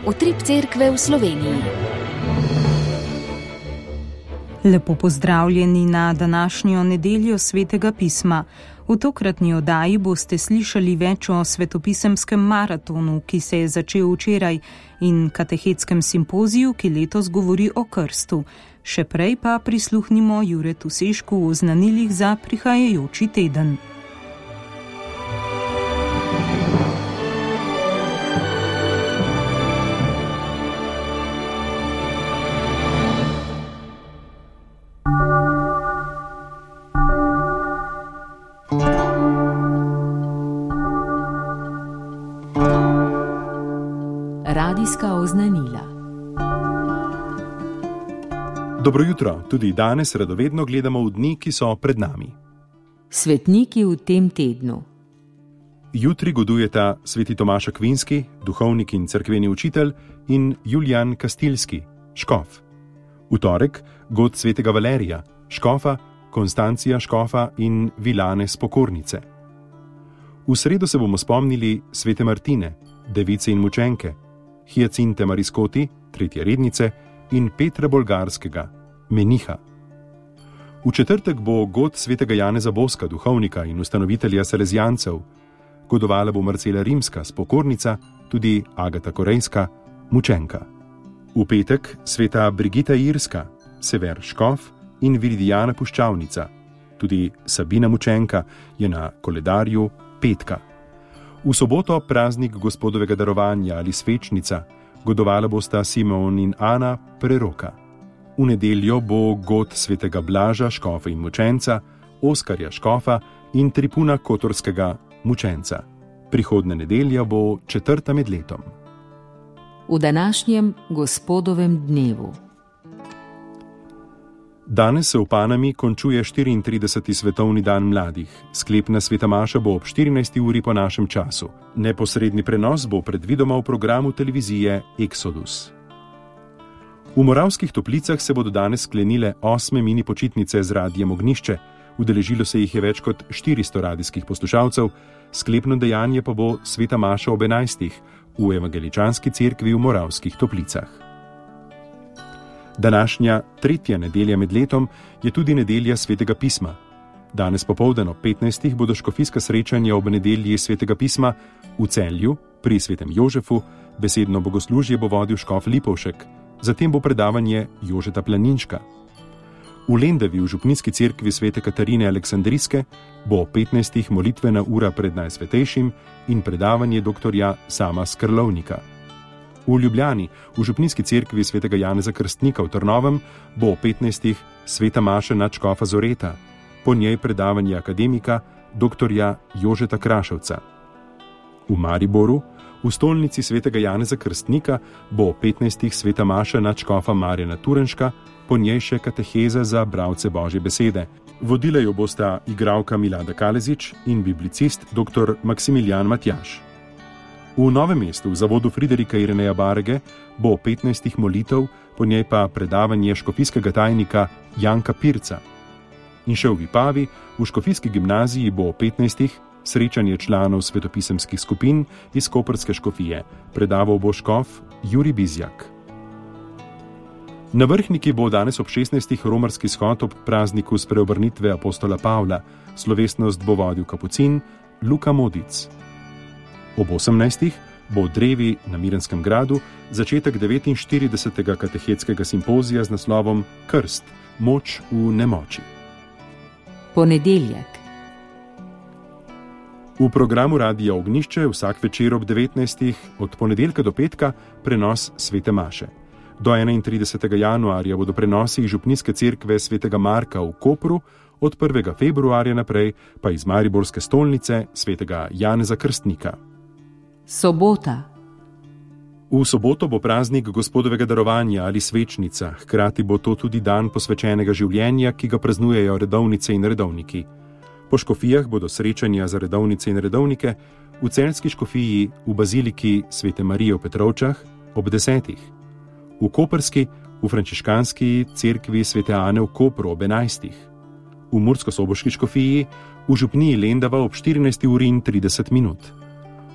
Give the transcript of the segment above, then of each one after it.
Utrip cerkve v Sloveniji. Lepo pozdravljeni na današnjo nedeljo Svetega pisma. V tokratni oddaji boste slišali več o svetopisemskem maratonu, ki se je začel včeraj, in katehetskem simpoziju, ki letos govori o krstu. Še prej pa prisluhnimo Juretu Sešku o oznanilih za prihajajoči teden. Radijska oznanila. Dobro jutro, tudi danes radovedno gledamo v dni, ki so pred nami. Svetniki v tem tednu. Jutri godujeta sveti Tomaž Akvinski, duhovnik in cerkveni učitelj, in Julijan Kastilski, škof. V torek god svetega Valerija, škofa, Konstancija škofa in Vilane Spokornice. V sredo se bomo spomnili svete Martine, device in mučenke, Hiacinte Mariskoti, tretje rednice, in Petra Bolgarskega, meniha. V četrtek bo god svetega Janeza Boska, duhovnika in ustanovitelja Salezijancev, godovala bo Marcela Rimska, spokornica, tudi Agata Korejska, mučenka. V petek sveta Brigita Irska, Sever škof in Viridijana puščavnica, tudi Sabina mučenka je na koledarju petka. V soboto praznik Gospodovega darovanja ali svečnica, godovala bosta Simon in Ana Preroka. V nedeljo bo god svetega Blaža, škofa in mučenca, Oskarja škofa in Tripuna Kotorskega, mučenca. Prihodne nedelja bo 4. med letom. V današnjem Gospodovem dnevu. Danes se v Panami končuje 34. svetovni dan mladih. Sklepna sveta maša bo ob 14. uri po našem času. Neposredni prenos bo predvidoma v programu televizije Exodus. V Moravskih Toplicah se bodo danes sklenile 8. mini počitnice z radijem Ognjišče. Udeležilo se jih je več kot 400 radijskih poslušalcev. Sklepno dejanje pa bo sveta maša ob 11. v Evangeličanski cerkvi v Moravskih Toplicah. Današnja 3. nedelja med letom je tudi nedelja Svetega pisma. Danes popoldan ob 15. bodo škofijska srečanja ob nedelji Svetega pisma v Celju pri svetem Jožefu, besedno bogoslužje bo vodil škof Lipovšek, zatem bo predavanje Jožeta Planinška. V Lendavi v župnijski cerkvi svete Katarine Aleksandrijske bo ob 15. molitvena ura pred Najsvetejšim in predavanje doktorja Sama Skrlovnika. V Ljubljani, v župnijski cerkvi svetega Janeza Krstnika v Trnovem, bo o 15. sveta maša nadškofa Zoreta, po njej predavanje akademika doktorja Jožeta Kraševca. V Mariboru, v stolnici svetega Janeza Krstnika, bo o 15. sveta maša nadškofa Marjana Turenška, po njej še kateheza za bralce Božje besede. Vodila jo bosta igralka Milada Kalezič in biblicist dr. Maksimilijan Matjaž. V Novem mestu, v zavodu Friderika Ireneja Barge, bo 15. molitev, po njej pa predavanje škofijskega tajnika Janka Pirca. In še v Vipavi, v škofijski gimnaziji bo 15. srečanje članov svetopisemskih skupin iz koprske škofije. Predaval bo škof Jurij Bizjak. Na Vrhniki bo danes ob 16. romarski shod ob prazniku spreobrnitve apostola Pavla. Slovesnost bo vodil kapucin Luka Modic. Ob 18. bo v Drevi na Mirenskem gradu začetek 49. katehetskega simpozija z naslovom Krst, moč v nemoči. Ponedeljek. V programu Radija Ognjišče vsak večer ob 19. od ponedeljka do petka prenos svete maše. Do 31. januarja bodo prenosi iz župnijske cerkve svetega Marka v Kopru, od 1. februarja naprej pa iz mariborske stolnice svetega Janeza Krstnika. Sobota. V soboto bo praznik Gospodovega darovanja ali svečnica, hkrati bo to tudi dan posvečenega življenja, ki ga praznujejo redovnice in redovniki. Po škofijah bodo srečanja za redovnice in redovnike v celjski škofiji v baziliki svete Marije v Petrovčah ob 10. V koprski, v frančiškanski cerkvi svete Ane v Kopru ob 11. V mursko-soboški škofiji, v župniji Lendava ob 14:30.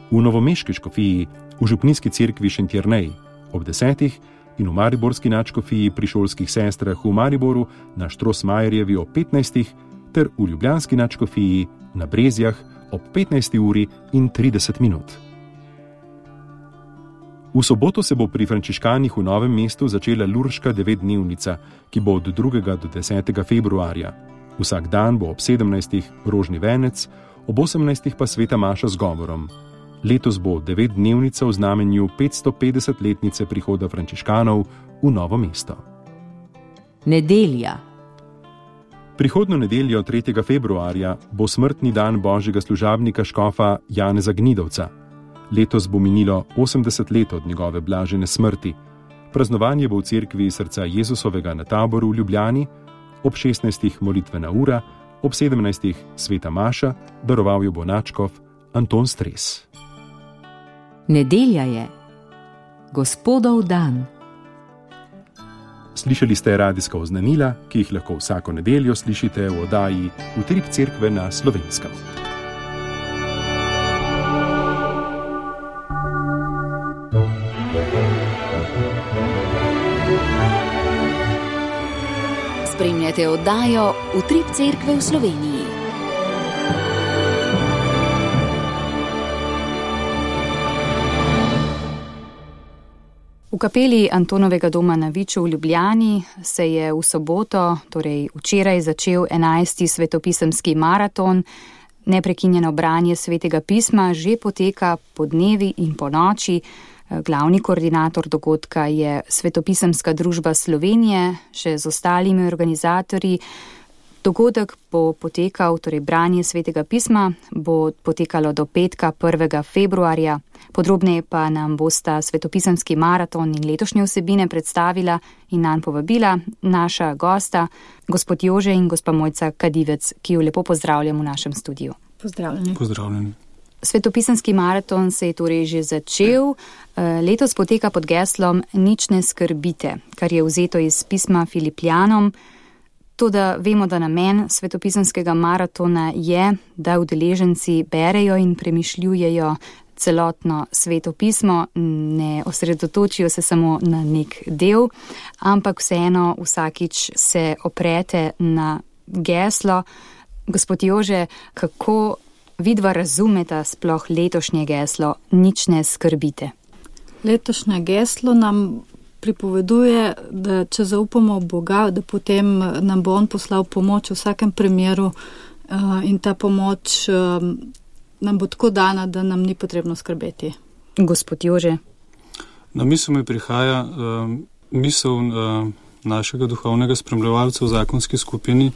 V novomeški škofiji, v župnijski cerkvi Šentjernej ob 10. in v mariborski nadškofiji pri šolskih sestrah v Mariboru na Štrosmajerjevi ob 15. ter v ljubljanski nadškofiji na Brezjah ob 15:30. V soboto se bo pri frančiškanih v Novem mestu začela Lurška 9-dnevnica, ki bo od 2. do 10. februarja. Vsak dan bo ob 17. rožni venec, ob 18. pa sveta maša z govorom. Letos bo 9-dnevnica v znamenju 550-letnice prihoda frančiškanov v Novo mesto. Nedelja. Prihodnjo nedeljo 3. februarja bo smrtni dan božjega služabnika škofa Janeza Gnidovca. Letos bo minilo 80 let od njegove blažene smrti. Praznovanje bo v cerkvi Srca Jezusovega na Taboru v Ljubljani, ob 16. molitvena ura, ob 17. sveta maša, daroval jo bo nadškof Anton Stres. Nedelja je Gospodov dan. Slišali ste radijska oznanila, ki jih lahko vsako nedeljo slišite v oddaji Utrip cerkve na Slovenskem. Spremljate oddajo Utrip cerkve v Sloveniji. V kapeli Antonovega doma na Viču v Ljubljani se je v soboto, torej včeraj, začel 11. svetopisemski maraton. Neprekinjeno branje svetega pisma že poteka po dnevi in po noči. Glavni koordinator dogodka je Svetopisemska družba Slovenije, še z ostalimi organizatorji. Dogodek bo potekal, torej branje svetega pisma, bo potekalo do petka 1. februarja. Podrobneje pa nam bosta svetopisemski maraton in letošnje vsebine predstavila in nanj povabila naša gosta, gospod Jože in gospa Mojca Kadivec, ki jo lepo pozdravljam v našem studiu. Pozdravljeni. Pozdravljeni. Svetopisemski maraton se je torej že začel. Letos poteka pod geslom Nič ne skrbite, kar je vzeto iz pisma Filipljanom. Toda vemo, da namen svetopisemskega maratona je, da udeleženci berejo in premišljujejo celotno sveto pismo, ne osredotočijo se samo na nek del, ampak vseeno vsakič se oprete na geslo. Gospod Jože, kako vidva razumeta sploh letošnje geslo Nič ne skrbite? Letošnje geslo nam pripoveduje, da če zaupamo v Boga, da potem nam bo On poslal pomoč v vsakem primeru in ta pomoč nam bo tako dana, da nam ni potrebno skrbeti. Gospod Jože. Na misel mi prihaja misel našega duhovnega spremljevalca v zakonski skupini,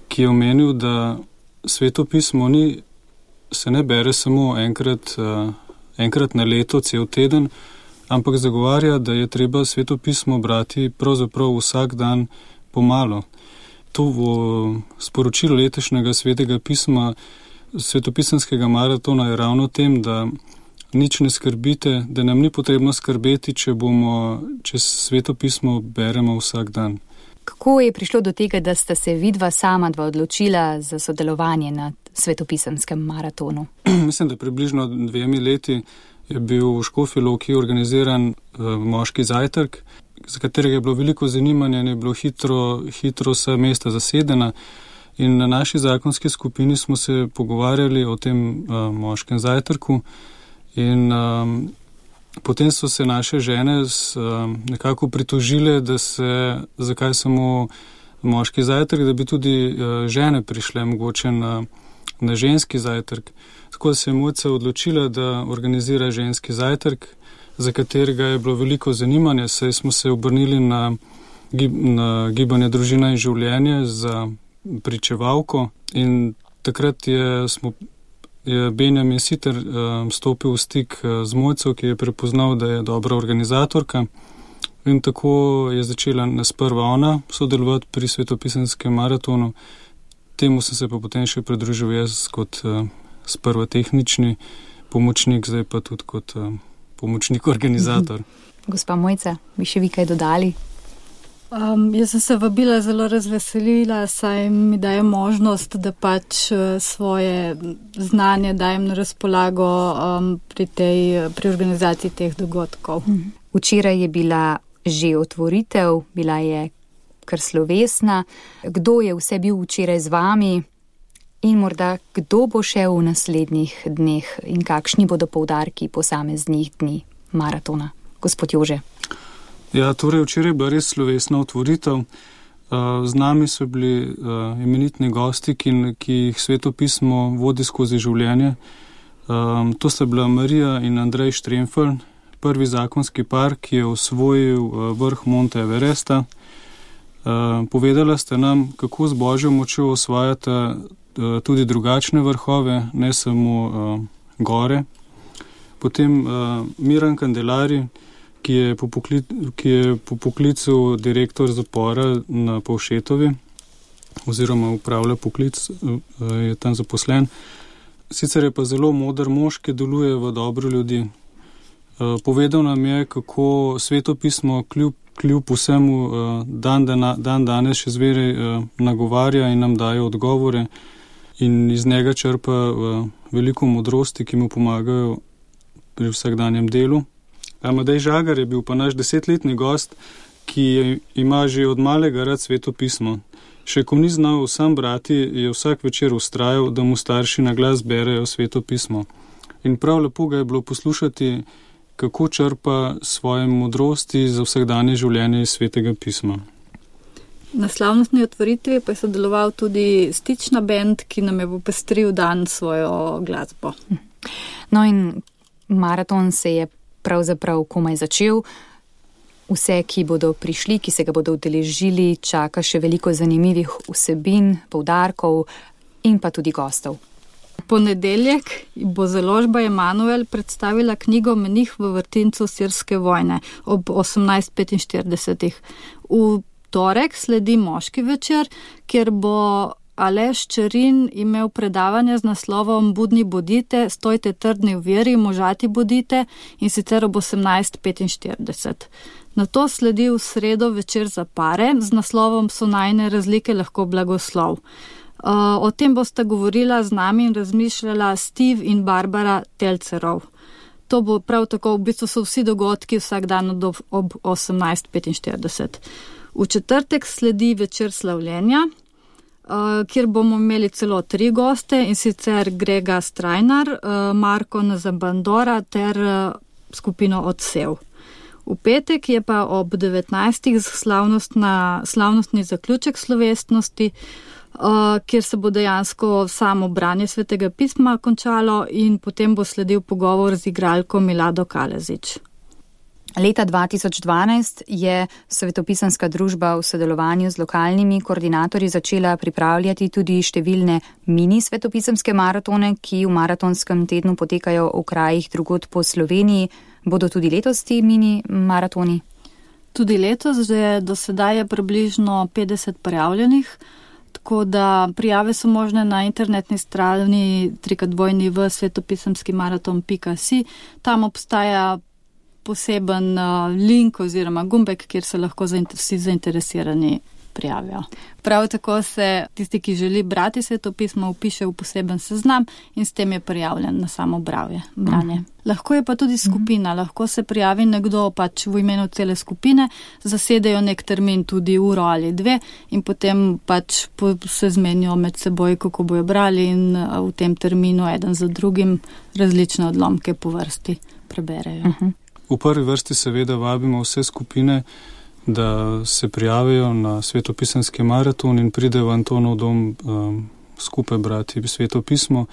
ki je omenil, da sveto pismo se ne bere samo enkrat na leto, cel teden, ampak zagovarja, da je treba sveto pismo brati pravzaprav vsak dan pomalo. To v sporočilu letošnjega svetega pisma, svetopisemskega maratona je ravno tem, da nič ne skrbite, da nam ni potrebno skrbeti, če sveto pismo beremo vsak dan. Kako je prišlo do tega, da sta se vidva sama dva odločila za sodelovanje na svetopisemskem maratonu? Mislim, da približno 2 leti je bil v Škofji Loki organiziran moški zajtrk, za katerega je bilo veliko zanimanja in je bilo hitro vsa mesta zasedena. In na naši zakonski skupini smo se pogovarjali o tem moškem zajtrku in potem so se naše žene nekako pritožile, zakaj samo moški zajtrk, da bi tudi žene prišle mogoče na ženski zajtrk. Tako se je Mojca odločila, da organizira ženski zajtrk, za katerega je bilo veliko zanimanja, saj smo se obrnili na gibanje Družina in življenje za pričevalko in takrat je Benjamin Siter stopil v stik z Mojco, ki je prepoznal, da je dobra organizatorka in tako je začela sprva ona sodelovati pri svetopisemskem maratonu. Temu sem se pa potem še pridružil jaz kot sprva tehnični pomočnik, zdaj pa tudi kot pomočnik organizator. Gospa Mojca, bi še vi kaj dodali? Jaz sem se vabila zelo razveselila, saj mi daje možnost, da pač svoje znanje dajem na razpolago pri organizaciji teh dogodkov. Včeraj je bila že otvoritev, bila je kar slovesna. Kdo je vse bil včeraj z vami in morda kdo bo šel v naslednjih dneh in kakšni bodo poudarki posameznih dni maratona? Gospod Jože. Ja, torej včeraj je bila res slovesna otvoritev. Z nami so bili imenitni gosti, ki jih svetopismo vodi skozi življenje. To sta bila Marija in Andrej Štremfelj, prvi zakonski par, ki je osvojil vrh Monte Everesta. Povedala ste nam, kako z Božjo močjo osvajate tudi drugačne vrhove, ne samo gore. Potem Miran Kandelari, ki je po poklicu direktor zapora na Povšetovi, oziroma upravlja poklic, je tam zaposlen. Sicer je pa zelo moder mož, ki deluje v dobro ljudi. Povedal nam je, kako svetopismo kljub vsemu dan danes še zmeraj nagovarja in nam daje odgovore in iz njega črpa veliko modrosti, ki mu pomagajo pri vsakdanjem delu. Amadej Žagar je bil pa naš 10-letni gost, ki ima že od malega rad svetopismo. Še ko ni znal sam brati, je vsak večer vztrajal, da mu starši na glas berejo svetopismo. In prav lepo ga je bilo poslušati, kako črpa svoje modrosti za vsakdanje življenje iz svetega pisma. Na slavnostni otvoritvi pa je sodeloval tudi Stična band, ki nam je popestril dan svojo glasbo. No in maraton se je pravzaprav komaj začel. Vse, ki bodo prišli, ki se ga bodo udeležili, čaka še veliko zanimivih vsebin, poudarkov in pa tudi gostov. Ponedeljek bo založba Emanuel predstavila knjigo Menih v vrtincu sirske vojne ob 18:45. V torek sledi moški večer, kjer bo Aleš Čerin imel predavanje z naslovom Budni bodite, stojte trdni v veri, možati bodite, in sicer ob 18:45. Nato sledi v sredo večer za pare z naslovom So najine razlike lahko blagoslov. O tem bosta govorila z nami in razmišljala Steve in Barbara Telcerov. To bo prav tako, v bistvu so vsi dogodki vsak dan ob 18:45. V četrtek sledi večer slavljenja, kjer bomo imeli celo 3 goste, in sicer Grega Strajnar, Marko Nazabandora ter skupino Odsev. V petek je pa ob 19. slavnostni zaključek slovesnosti, kjer se bo dejansko samo branje svetega pisma končalo in potem bo sledil pogovor z igralko Milado Kalezič. Leta 2012 je Svetopisemska družba v sodelovanju z lokalnimi koordinatorji začela pripravljati tudi številne mini svetopisemske maratone, ki v maratonskem tednu potekajo v krajih drugod po Sloveniji. Bodo tudi letos ti mini maratoni? Tudi letos, že do sedaj je približno 50 prijavljenih, tako da prijave so možne na internetni strani www.svetopisemskimaraton.si. Tam obstaja poseben link oziroma gumbek, kjer se lahko vsi zainteresirani prijavijo. Prav tako se tisti, ki želi brati svetopismo, vpiše v poseben seznam in s tem je prijavljen na samo branje. Lahko je pa tudi skupina, lahko se prijavi nekdo pač v imenu cele skupine, zasedejo nek termin, tudi uro ali 2, in potem pač se zmenijo med seboj, kako bojo brali, in v tem terminu eden za drugim različne odlomke po vrsti preberejo. V prvi vrsti seveda vabimo vse skupine, da se prijavijo na svetopisemski maraton in pridejo v Antonov dom skupaj brati svetopismo,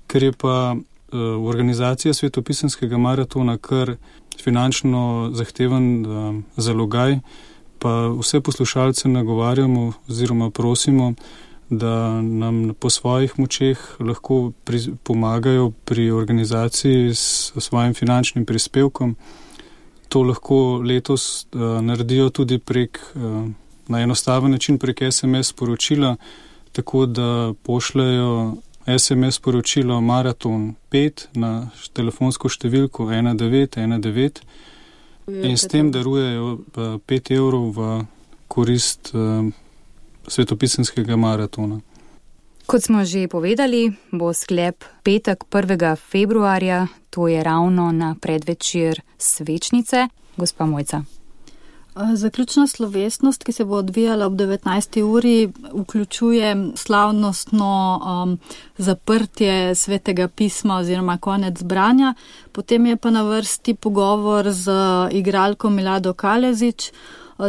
ker je pa organizacija svetopisemskega maratona kar finančno zahteven zalogaj, pa vse poslušalce nagovarjamo oziroma prosimo, da nam po svojih močeh lahko pomagajo pri organizaciji s svojim finančnim prispevkom. To lahko letos naredijo tudi na enostaven način prek SMS sporočila, tako da pošljajo SMS sporočilo Maraton 5 na telefonsko številko 1919 in s tem darujejo 5 evrov v korist svetopisemskega maratona. Kot smo že povedali, bo sklep petek 1. februarja, to je ravno na predvečer svečnice. gospa Mojca. Zaključna slovesnost, ki se bo odvijala ob 19. uri, vključuje slavnostno zaprtje Svetega pisma oziroma konec branja. Potem je pa na vrsti pogovor z igralko Milado Kalezič.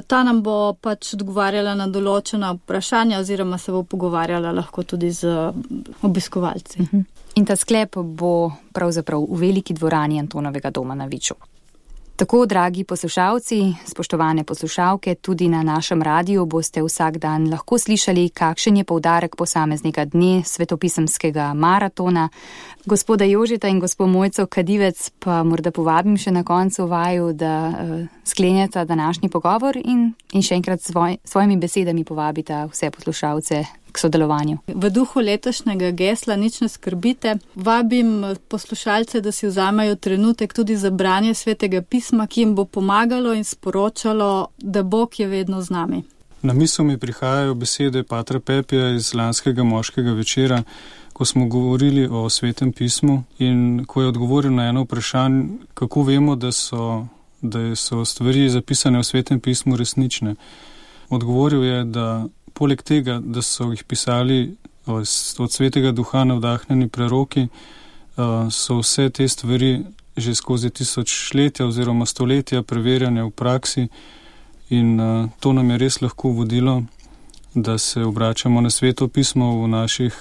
Ta nam bo pač odgovarjala na določena vprašanja oziroma se bo pogovarjala lahko tudi z obiskovalci. In ta sklep bo pravzaprav v veliki dvorani Antonovega doma na Viču. Tako, dragi poslušalci, spoštovane poslušalke, tudi na našem radiju boste vsak dan lahko slišali, kakšen je poudarek posameznega dne svetopisemskega maratona. Gospoda Jožeta in gospo Mojco Kadivec pa morda povabim še na koncu vaju, da sklenjata današnji pogovor in še enkrat svojimi besedami povabita vse poslušalce k sodelovanju. V duhu letošnjega gesla Nič ne skrbite, vabim poslušalce, da si vzamejo trenutek tudi za branje Svetega pisma, ki jim bo pomagalo in sporočalo, da Bog je vedno z nami. Na misel mi prihajajo besede patra Pepija iz lanskega moškega večera, ko smo govorili o Svetem pismu in ko je odgovoril na eno vprašanje, kako vemo, da so stvari zapisane v Svetem pismu resnične. Odgovoril je, da poleg tega, da so jih pisali od Svetega duha navdahnjeni preroki, so vse te stvari že skozi tisočletja oziroma stoletja preverjanja v praksi in to nam je res lahko vodilo, da se obračamo na Sveto pismo v naših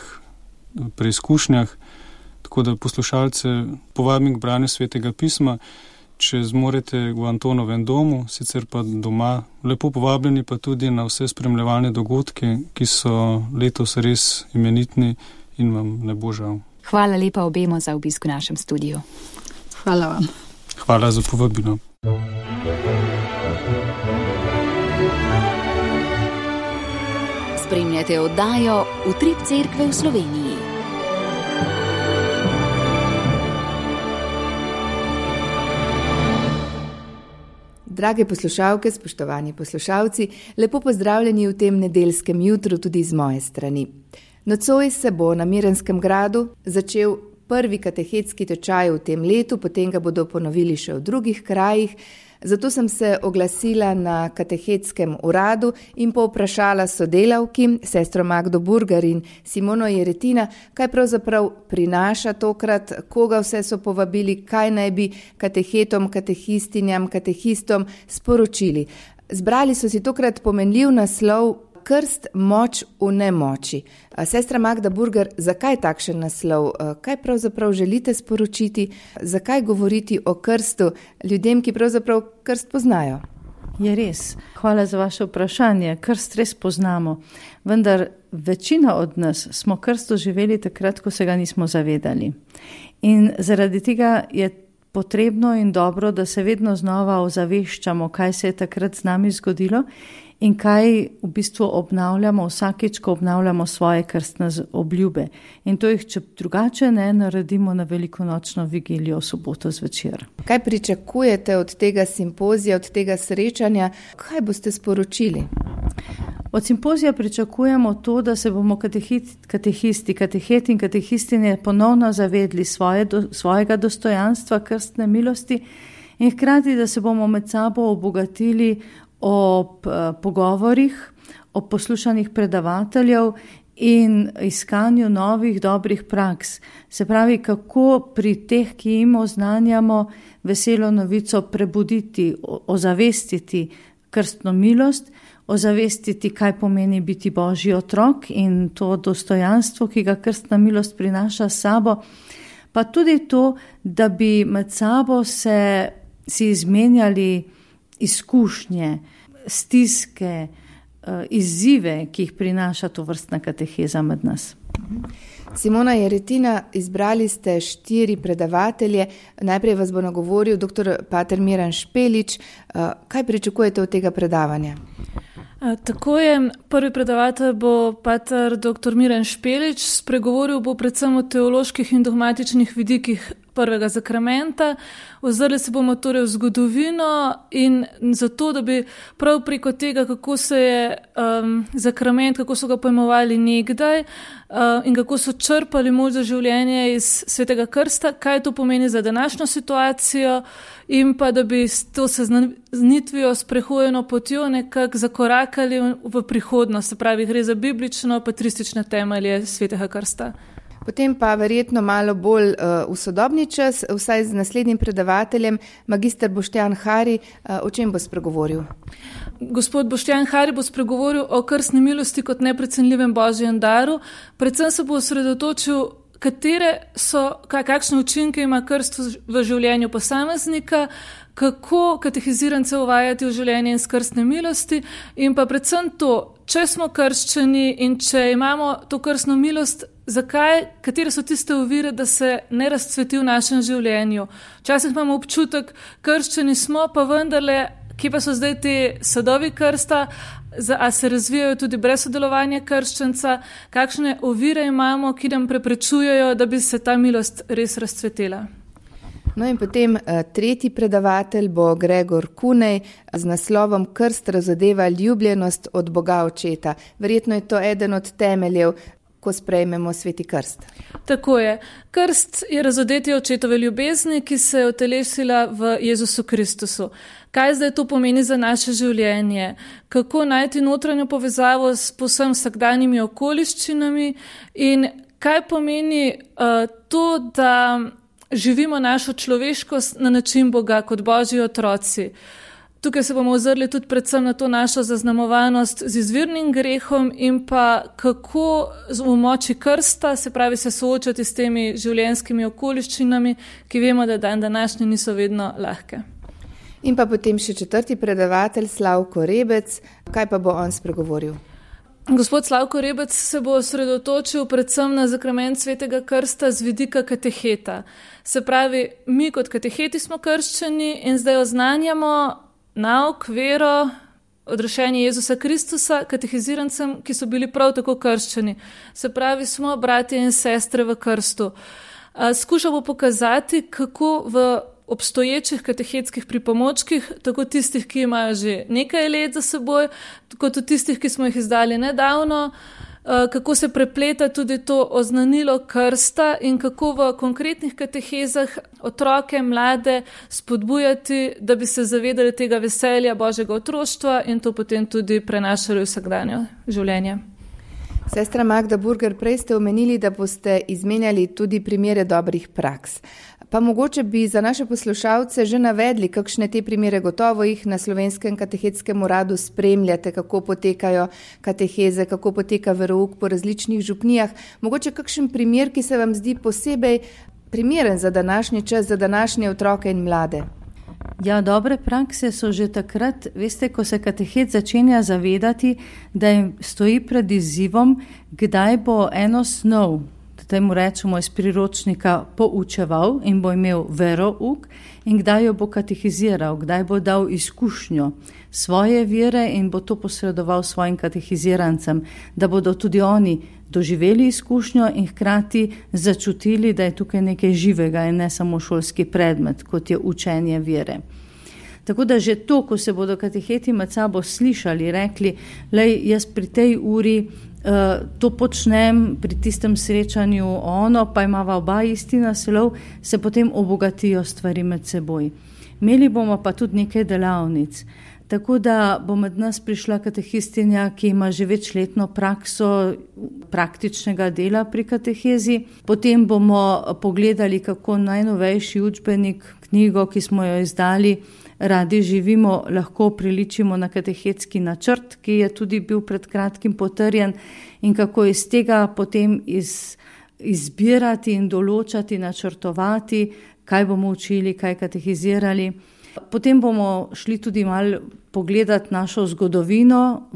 preizkušnjah. Tako da poslušalce povabim k branju Svetega pisma, če zmorete v Antonovem domu, sicer pa doma, lepo povabljeni pa tudi na vse spremljevalne dogodke, ki so letos res imenitni in vam ne bo žal. Hvala lepa obema za obisk v našem studiu. Hvala vam. Hvala za povabilo. Spremljate oddajo Utrip cerkve v Sloveniji. Drage poslušalke, spoštovani poslušalci, lepo pozdravljeni v tem nedeljskem jutru tudi z moje strani. Nocoj se bo na Mirenskem gradu začel prvi katehetski tečaj v tem letu, potem ga bodo ponovili še v drugih krajih. Zato sem se oglasila na katehetskem uradu in povprašala sodelavki, sestro Magdo Burgar in Simono Jeretina, kaj pravzaprav prinaša tokrat, koga vse so povabili, kaj naj bi katehetom, katehistinjam, katehistom sporočili. Zbrali so si tokrat pomenljiv naslov Krst, moč v nemoči. Sestra Magda Burgar, zakaj takšen naslov? Kaj pravzaprav želite sporočiti? Zakaj govoriti o krstu ljudem, ki pravzaprav krst poznajo? Je res. Hvala za vaše vprašanje. Krst res poznamo. Vendar večina od nas smo krst doživeli takrat, ko se ga nismo zavedali. In zaradi tega je potrebno in dobro, da se vedno znova ozaveščamo, kaj se je takrat z nami zgodilo in kaj v bistvu obnavljamo vsakič, ko obnavljamo svoje krstne obljube. In to jih, če drugače ne, naredimo na velikonočno vigilijo v soboto zvečer. Kaj pričakujete od tega simpozija, od tega srečanja? Kaj boste sporočili? Od simpozija pričakujemo to, da se bomo kateheti in katehistinje ponovno zavedli svojega dostojanstva krstne milosti in hkrati, da se bomo med sabo obogatili ob pogovorih, ob poslušanih predavateljev in iskanju novih dobrih praks. Se pravi, kako pri teh, ki jim oznanjamo veselo novico, prebuditi, ozavestiti krstno milost, ozavestiti, kaj pomeni biti Božji otrok in to dostojanstvo, ki ga krstna milost prinaša s sabo, pa tudi to, da bi med sabo si izmenjali izkušnje, stiske, izzive, ki jih prinaša to vrstna kateheza med nas. Simona Jeretina, izbrali ste 4 predavatelje. Najprej vas bo nagovoril dr. pater Miran Špelič. Kaj pričakujete od tega predavanja? Tako je, prvi predavatelj bo pater dr. Miran Špelič, spregovoril bo predvsem o teoloških in dogmatičnih vidikih prvega zakramenta. Ozrli se bomo torej v zgodovino in zato, da bi prav preko tega, kako se je zakrament, kako so ga pojmovali nekdaj in kako so črpali moč za življenje iz Svetega krsta, kaj to pomeni za današnjo situacijo in pa da bi s to seznanitvijo s prehojeno potjo nekako zakorakali v prihodnost, se pravi, gre za biblično patristične temelje Svetega krsta. Potem pa verjetno malo bolj v sodobni čas, vsaj z naslednjim predavateljem, magister Boštjan Hari, o čem bo spregovoril? Gospod Boštjan Hari bo spregovoril o krstni milosti kot neprecenljivem božjem daru. Predvsem se bo osredotočil, kakšne učinke ima krst v življenju posameznika, kako katehizirance uvajati v življenje iz krstne milosti in pa predvsem to, če smo krščeni in če imamo to krstno milost, katere so tiste ovire, da se ne razcveti v našem življenju. Včasih imamo občutek, krščeni smo, pa vendarle, kje pa so zdaj te sadovi krsta, a se razvijajo tudi brez sodelovanja krščenca, kakšne ovire imamo, ki nam preprečujejo, da bi se ta milost res razcvetela. No in potem tretji predavatelj bo Gregor Kunej z naslovom Krst razodeva ljubljenost od Boga Očeta. Verjetno je to eden od temeljev, ko sprejmemo Sveti krst. Tako je. Krst je razodetje očetove ljubezni, ki se je utelesila v Jezusu Kristusu. Kaj zdaj to pomeni za naše življenje? Kako najti notranjo povezavo s povsem vsakdanjimi okoliščinami in kaj pomeni to, da živimo našo človeškost na način Boga kot Božji otroci. Tukaj se bomo ozrli tudi predvsem na to našo zaznamovanost z izvirnim grehom in pa kako v moči krsta, se pravi se soočati s temi življenjskimi okoliščinami, ki vemo, da dan današnji niso vedno lahke. In pa potem še četrti predavatelj Slavko Rebec. Kaj pa bo on spregovoril? Gospod Slavko Rebec se bo osredotočil predvsem na zakrament Svetega krsta z vidika kateheta. Se pravi, mi kot kateheti smo krščeni in zdaj oznanjamo nauk, vero, odrešenje Jezusa Kristusa katehizirancem, ki so bili prav tako krščeni. Se pravi, smo bratje in sestre v krstu. Skušamo pokazati, kako v obstoječih katehetskih pripomočkih, tako tistih, ki imajo že nekaj let za seboj, kot tudi tistih, ki smo jih izdali nedavno, kako se prepleta tudi to oznanilo krsta in kako v konkretnih katehezah otroke, mlade spodbujati, da bi se zavedali tega veselja Božjega otroštva in to potem tudi prenašali v vsakdanje življenje. Sestra Magda Burger, prej ste omenili, da boste izmenjali tudi primere dobrih praks. Pa mogoče bi za naše poslušalce že navedli, kakšne te primere, gotovo jih na Slovenskem katehetskem uradu spremljate, kako potekajo kateheze, kako poteka verouk po različnih župnijah. Mogoče kakšen primer, ki se vam zdi posebej primeren za današnji čas, za današnje otroke in mlade? Ja, dobre prakse so že takrat, veste, ko se katehet začenja zavedati, da jim stoji pred izzivom, kdaj bo eno snov, temu rečemo iz priročnika, poučeval in bo imel verouk in kdaj jo bo katehiziral, kdaj bo dal izkušnjo svoje vere in bo to posredoval svojim katehizirancem, da bodo tudi oni doživeli izkušnjo in hkrati začutili, da je tukaj nekaj živega in ne samo šolski predmet, kot je učenje vere. Tako da že to, ko se bodo kateheti med sabo slišali, rekli, lej, jaz pri tej uri to počnem, pri tistem srečanju ono, pa imava oba isti naslov, se potem obogatijo stvari med seboj. Imeli bomo pa tudi nekaj delavnic. Tako da bo med nas prišla katehistinja, ki ima že večletno prakso praktičnega dela pri katehezi. Potem bomo pogledali, kako najnovejši učbenik, knjigo, ki smo jo izdali, Radi živimo, lahko priličimo na katehetski načrt, ki je tudi bil pred kratkim potrjen, in kako iz tega potem izbirati in določati, načrtovati, kaj bomo učili, kaj katehizirali. Potem bomo šli tudi malo pogledati našo zgodovino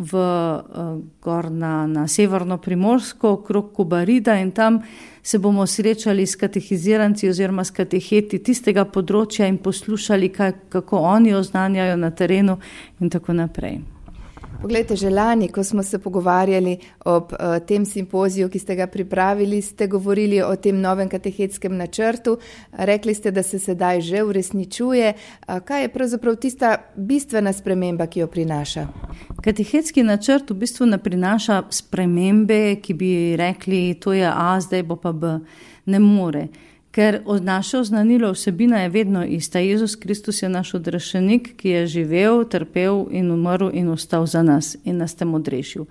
gor na severno Primorsko, okrog Kobarida, in tam se bomo srečali s katehiziranci oziroma s kateheti tistega področja in poslušali, kako oni oznanjajo na terenu in tako naprej. Poglejte, že lani, ko smo se pogovarjali ob tem simpoziju, ki ste ga pripravili, ste govorili o tem novem katehetskem načrtu. Rekli ste, da se sedaj že uresničuje. Kaj je pravzaprav tista bistvena sprememba, ki jo prinaša? Katehetski načrt v bistvu ne prinaša spremembe, ki bi rekli, to je A, zdaj bo pa B. Ne more. Ker naše oznanilo vsebina je vedno ista. Jezus Kristus je naš odrešenik, ki je živel, trpel in umrl in ostal za nas in nas tem odrešil.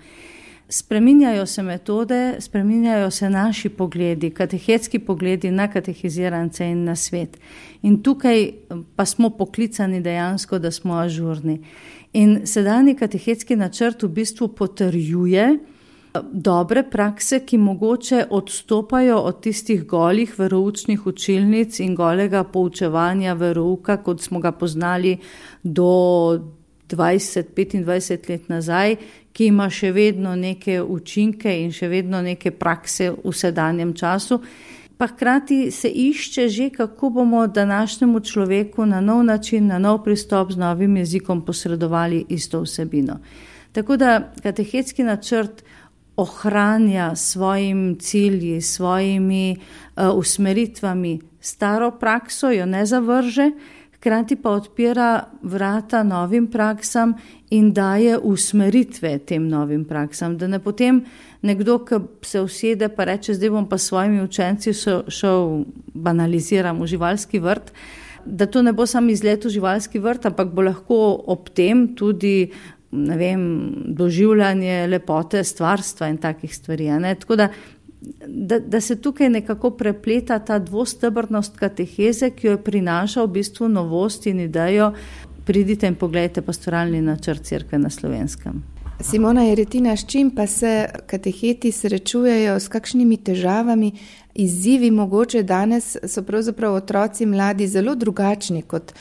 Spreminjajo se metode, spreminjajo se naši pogledi, katehetski pogledi na katehizirance in na svet. In tukaj pa smo poklicani dejansko, da smo ažurni. In sedanji katehetski načrt v bistvu potrjuje dobre prakse, ki mogoče odstopajo od tistih golih veroučnih učilnic in golega poučevanja verouka, kot smo ga poznali do 20-25 let nazaj, ki ima še vedno neke učinke in še vedno neke prakse v sedanjem času. Pa hkrati se išče že, kako bomo današnjemu človeku na nov način, na nov pristop z novim jezikom posredovali isto vsebino. Tako da katehetski načrt ohranja svojim cilji, svojimi usmeritvami staro prakso, jo ne zavrže, hkrati pa odpira vrata novim praksam in daje usmeritve tem novim praksam. Da ne potem nekdo, ki se usede pa reče, zdaj bom pa s svojimi učenci šel, banaliziram, v živalski vrt, da to ne bo sam izlet v živalski vrt, ampak bo lahko ob tem tudi doživljanje lepote stvarstva in takih stvari. Tako da se tukaj nekako prepleta ta dvostebrnost kateheze, ki jo prinaša v bistvu novost in idejo. Pridite in pogledajte pastoralni načrt Cerkve na Slovenskem. Simona Jeretina, s čim pa se kateheti srečujejo, s kakšnimi težavami, izzivi mogoče danes so pravzaprav otroci mladi zelo drugačni, kot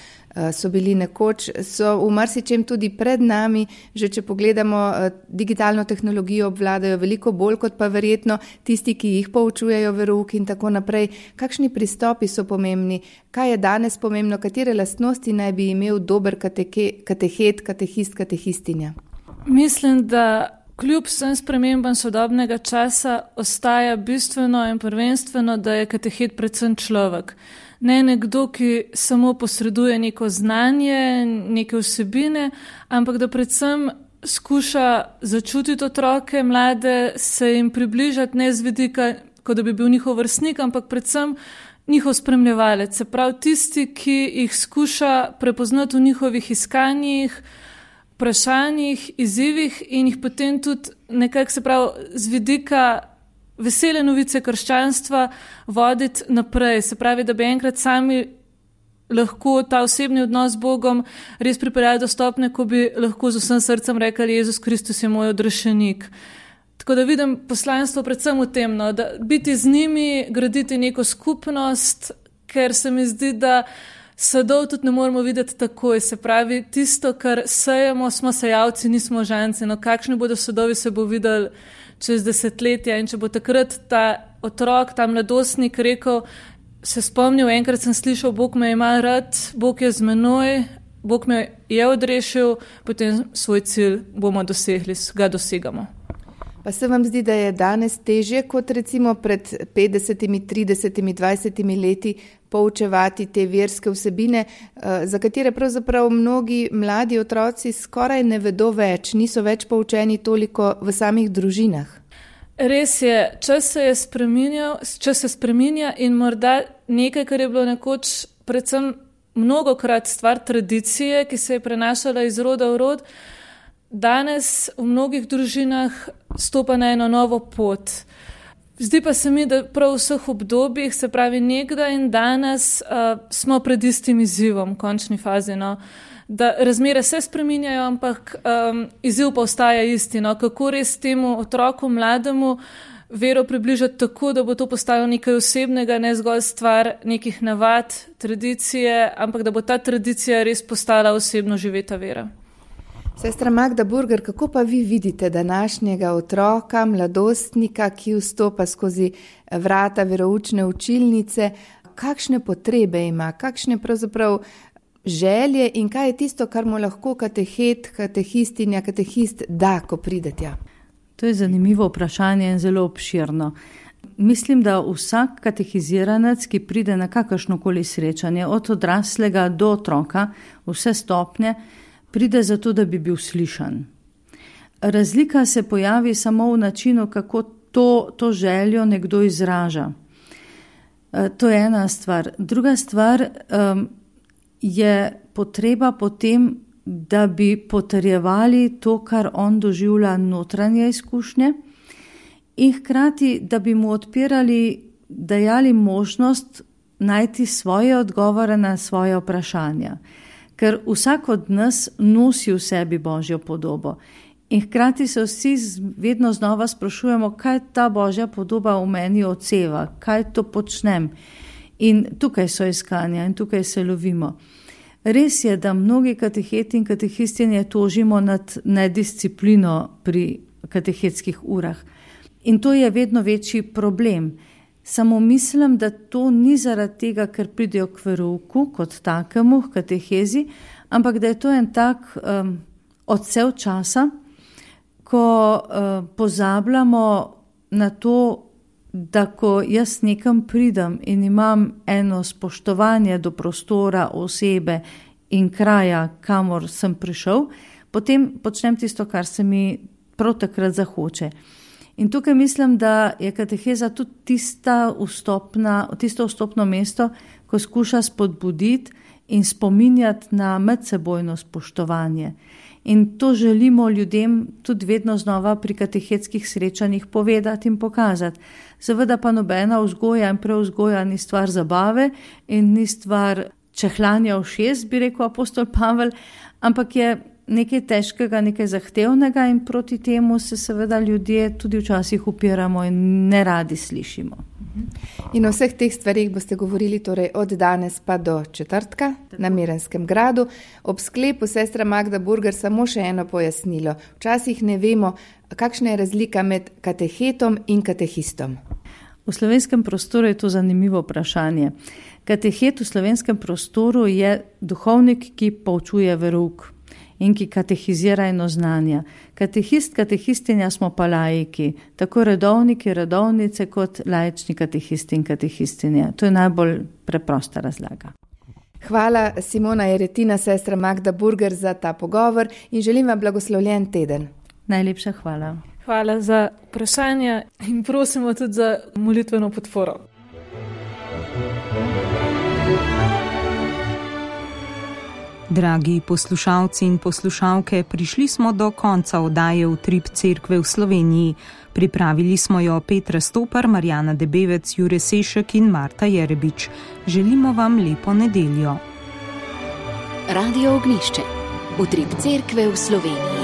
so bili nekoč, so v marsičem tudi pred nami, že če pogledamo digitalno tehnologijo obvladajo veliko bolj kot pa verjetno tisti, ki jih poučujejo verouk in tako naprej. Kakšni pristopi so pomembni? Kaj je danes pomembno? Katere lastnosti naj bi imel dober katehet, katehist, katehistinja? Mislim, da kljub vsem spremembam sodobnega časa ostaja bistveno in prvenstveno, da je katehet predvsem človek. Ne nekdo, ki samo posreduje neko znanje, neke vsebine, ampak da predvsem skuša začutiti otroke, mlade, se jim približati ne z vidika, kot da bi bil njihov vrstnik, ampak predvsem njihov spremljevalec. Se pravi tisti, ki jih skuša prepoznati v njihovih iskanjih, vprašanjih, izzivih in jih potem tudi nekako, se pravi, z vidika vesele novice krščanstva voditi naprej. Se pravi, da bi enkrat sami lahko ta osebni odnos z Bogom res pripeljali do stopnje, ko bi lahko z vsem srcem rekli, Jezus Kristus je moj odrešenik. Tako da vidim poslanstvo predvsem v tem, da biti z njimi, graditi neko skupnost, ker se mi zdi, da sadov tudi ne moramo videti takoj. Se pravi, tisto, kar sejemo, smo sejalci, nismo žanci. Kakšni bodo sadovi, se bo videli čez desetletja in če bo takrat ta otrok, ta mladostnik rekel, se spomnil, enkrat sem slišal, Bog me ima rad, Bog je z menoj, Bog me je odrešil, potem svoj cilj bomo dosegli, ga dosegamo. Pa se vam zdi, da je danes težje kot recimo pred 50, 30, 20 leti poučevati te verske vsebine, za katere pravzaprav mnogi mladi otroci skoraj ne vedo več, niso več poučeni toliko v samih družinah? Res je, čas se spreminja in morda nekaj, kar je bilo nekoč predvsem mnogokrat stvar tradicije, ki se je prenašala iz roda v rod, danes v mnogih družinah stopa na eno novo pot. Zdi pa se mi, da prav v vseh obdobjih, se pravi nekdaj in danes, smo pred istim izzivom, v končni fazi. Da razmere se spreminjajo, ampak izziv pa ostaja isti. Kako res temu otroku, mlademu, vero približati tako, da bo to postalo nekaj osebnega, ne zgolj stvar nekih navad, tradicije, ampak da bo ta tradicija res postala osebno živeta vera. Sestra Magda Burger, kako pa vi vidite današnjega otroka, mladostnika, ki vstopa skozi vrata veroučne učilnice, kakšne potrebe ima, kakšne pravzaprav želje in kaj je tisto, kar mu lahko katehet, katehistinja, katehist da, ko pride tja? To je zanimivo vprašanje in zelo obširno. Mislim, da vsak katehiziranec, ki pride na kakršnokoli srečanje, od odraslega do otroka, vse stopnje, pride zato, da bi bil slišan. Razlika se pojavi samo v načinu, kako to željo nekdo izraža. To je ena stvar. Druga stvar je potreba potem, da bi potrjevali to, kar on doživlja notranje izkušnje, in hkrati, da bi mu dajali možnost najti svoje odgovore na svoje vprašanja. Ker vsak od nas nosi v sebi Božjo podobo. In hkrati se vsi vedno znova sprašujemo, kaj ta Božja podoba v meni odseva, kaj to počnem. In tukaj so iskanja in tukaj se lovimo. Res je, da mnogi kateheti in katehistinje tožimo nad nedisciplino pri katehetskih urah. In to je vedno večji problem. Samo mislim, da to ni zaradi tega, ker pridejo k verouku kot takemu, k katehezi, ampak da je to en tak odsev časa, ko pozabljamo na to, da ko jaz nekam pridem in imam eno spoštovanje do prostora, osebe in kraja, kamor sem prišel, potem počnem tisto, kar se mi prav takrat zahoče. In tukaj mislim, da je kateheza tudi tisto vstopno mesto, ko skuša spodbuditi in spominjati na medsebojno spoštovanje. In to želimo ljudem tudi vedno znova pri katehetskih srečanjih povedati in pokazati. Seveda pa nobena vzgoja in preuzgoja ni stvar zabave in ni stvar čehlanja ušes, bi rekel apostol Pavel, ampak je nekaj težkega, nekaj zahtevnega in proti temu se seveda ljudje tudi včasih upiramo in ne radi slišimo. In o vseh teh stvarih boste govorili torej od danes pa do četrtka na Mirenskem gradu. Ob sklepu sestra Magda Burger samo še eno pojasnilo. Včasih ne vemo, kakšna je razlika med katehetom in katehistom. V slovenskem prostoru je to zanimivo vprašanje. Katehet v slovenskem prostoru je duhovnik, ki poučuje verouk in ki katehizira eno znanja. Katehist, katehistinja smo pa laiki, tako redovniki, redovnice kot laični katehisti in katehistinja. To je najbolj preprosta razlaga. Hvala Simona Jeretina, sestra Magda Burger za ta pogovor in želim vam blagoslovljen teden. Najlepša hvala. Hvala za vprašanje in prosimo tudi za molitveno podporo. Dragi poslušalci in poslušalke, prišli smo do konca oddaje Utrip Cerkve v Sloveniji. Pripravili smo jo Petra Stopar, Marjana Debevec, Jure Sešek in Marta Jerebič. Želimo vam lepo nedeljo. Radio Ognjišče. Utrip Cerkve v Sloveniji.